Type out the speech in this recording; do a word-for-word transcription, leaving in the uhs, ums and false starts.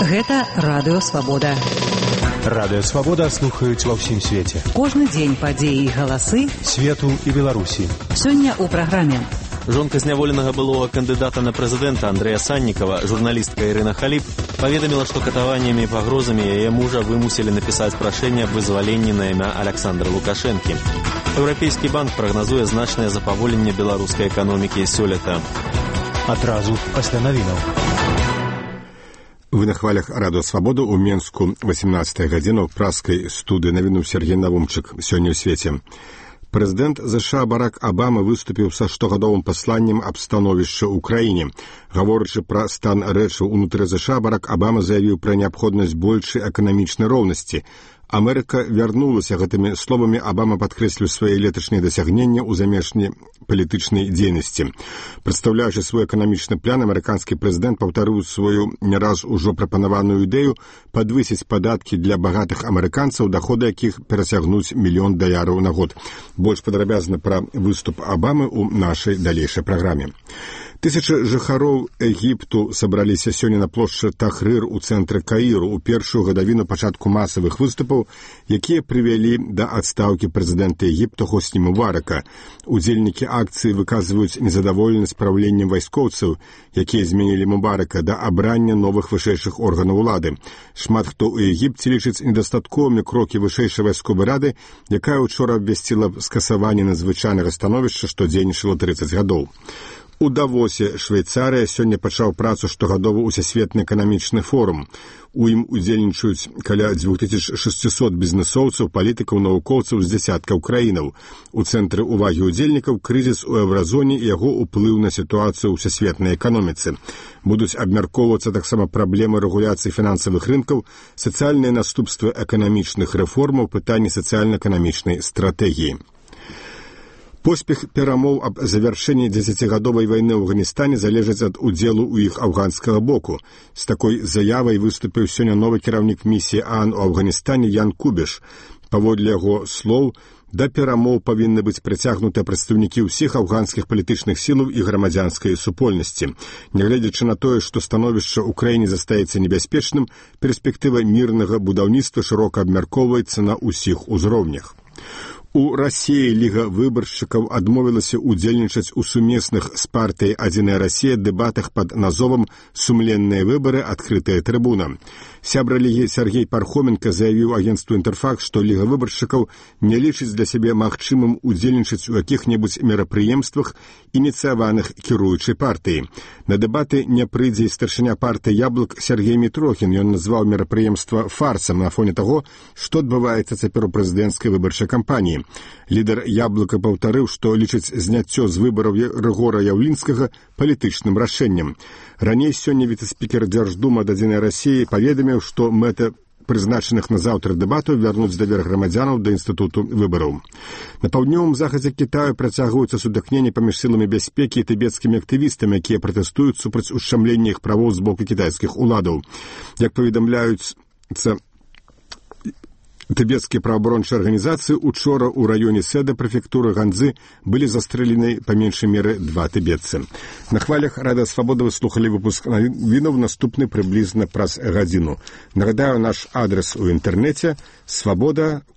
Гэта Радыё Свабода. Радыё Свабода слухаюць ва ўсім свеце. Кожны дзень падзеі і галасы свету і Беларусі. Сёння ў праграме. Жонка зняволенага былога кандыдата на прэзідэнта Андрэя Саннікава, журналістка Ірына Халіп, паведаміла, што катаваннямі і пагрозамі яе мужа вымусілі напісаць прашэнне аб вызваленні на імя Аляксандра Лукашэнкі. Еўрапейскі банк прагназуе значнае запаволенне беларускай эканомікі сёлета. Адразу пасля навінаў. Вы на хвалях Радыё Свабода ў Менску восемнадцатая гадзіна ў праскай студыі навіну Сергей Навумчык. Сёння ў свеце. Прэзідэнт ЗША Барак Абама выступіў са штогадовым пасланнем аб становішча ў краіне. Гаворачы пра стан рэчаў унутры ЗША, Барак Абама заявіў пра неабходнасць большай эканамічнай роўнасці. Амерыка вярнулася гэтымі словамі. Абама падкрэсліў свае леташнія дасягнення ў замежнай палітычнай дзейнасці. Прадстаўляючы свой эканамічны план, амерыканскі прэзідэнт паўтарыў сваю не раз ужо прапанаваную ідэю падвысіць падаткі для багатых амерыканцаў, даходы якіх перасягнуць мільён даляраў на год. Больш падрабязна пра выступ Абамы ў нашай далейшай праграме. Тысячы жыхароў Егіпту сабраліся сёння на плошчы Тахрыр у цэнтры Каіру ў першую гадавіну пачатку масавых выступаў, якія прывялі да адстаўкі прэзідэнта Егіпта Хосні Мубарака. Удзельнікі акцыі выказваюць незадаволенасць праўленнем вайскоўцаў, якія зменілі Мубарака, да абрання новых вышэйшых органаў улады. Шмат хто ў Егіпце лічыць недастатковымі крокі вышэйшай вайсковай рады, якая учора абвясціла скасаванне надзвычайнага становішча, што дзейнічала трыццаць гадоў. У Давосе, Швейцарыя, сёння пачаў працу штогадовы ўсесветны эканамічны форум. У ім удзельнічаюць каля дзвюх тысяч шасцісот бізнэсоўцаў, палітыкаў, навукоўцаў з дзясяткаў краінаў. У цэнтры ўвагі ўдзельнікаў крызіс у еўразоне і яго ўплыў на сітуацыю ў ўсесветнай эканоміцы. Будуць абмяркоўвацца таксама праблемы рэгуляцыі фінансавых рынкаў, сацыяльныя наступствы эканамічных рэформаў, пытанні сацыяльна-эканамічнай стратэгіі. Поспех перамоў аб завяршэнні дзесяцігадовай вайны ў Афганістане залежыць ад удзелу ў іх афганскага боку. З такой заявай выступіў сёння новы кіраўнік місіі ААН у Афганістане Ян Кубіш. Паводле яго слоў, да перамоў павінны быць прыцягнутыя прадстаўнікі ўсіх афганскіх палітычных сілаў і грамадзянскай супольнасці. Нягледзячы на тое, што становішча ў краіне застаецца небяспечным, перспектыва мірнага будаўніцтва шырока абмяркоўваецца на ўсіх узроўнях. У Расіі Ліга выбаршчыкаў адмовілася ўдзельнічаць у сумесных з партыяй «Адзіная Расія» дэбатах пад назовам «Сумленныя выбары. Адкрытая трыбуна». Сябра Лігі Сергей Пархоменка заявіў агенцтву «Інтэрфакс», што Ліга выбаршчыкаў не лічыць для сябе магчымым удзельнічаць у якіх-небудзь мерапрыемствах, ініцыяваных кіруючай партыі. На дэбаты не прыйдзе і старшыня партыі «Яблык» Сергей Мітрохін. Ён назваў мерапрыемства фарсам на фоне таго, што адбываецца цяпер у прэзідэнцкай выбарчай кампаніі. Лідар «Яблыка» паўтарыў, што лічыць зняццё з выбараў Рыгора Яўлінскага палітычным рашэннем. Раней сёння віцэ-спікер Дзярждумы ад «Адзінай Расіі» паведаміў, што мэта прызначаных на заўтра дэбатаў вярнуць давер грамадзянаў да інстытуту выбараў. На паўднёвым захадзе Кітаю працягваюцца сутыкненні паміж сіламі бяспекі і тыбецкімі актывістамі, якія пратэстуюць супраць ушчамлення іх правоў з боку кітайскіх уладаў. Як паведамляюцца тыбецкія праваабарончыя арганізацыі, учора ў раёне Сэда прэфектуры Ганзы былі застрэлены па меншай меры два тыбетцы. На хвалях Радыё Свабода вы слухалі выпуск навінаў, наступны прыблізна праз гадзіну. Нагадаю, наш адрес у інтэрнэце свабода